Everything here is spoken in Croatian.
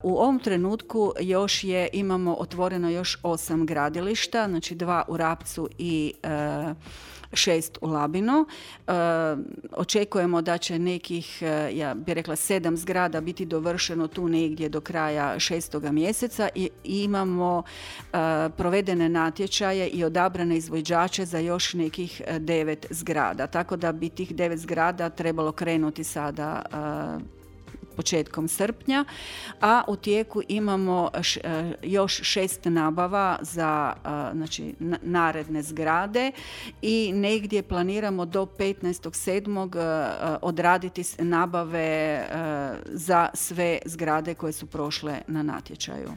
U ovom trenutku imamo otvoreno još 8 gradilišta, znači 2 u Rapcu i 6 u Labinu. Očekujemo da će nekih, ja bih rekla 7 zgrada biti dovršeno tu negdje do kraja 6. mjeseca i imamo provedene natječaje i odabrane izvođače za još nekih 9 zgrada. Tako da bi tih 9 zgrada trebalo krenuti sada početkom srpnja, a u tijeku imamo još 6 nabava za naredne zgrade i negdje planiramo do 15.7. Odraditi nabave za sve zgrade koje su prošle na natječaju.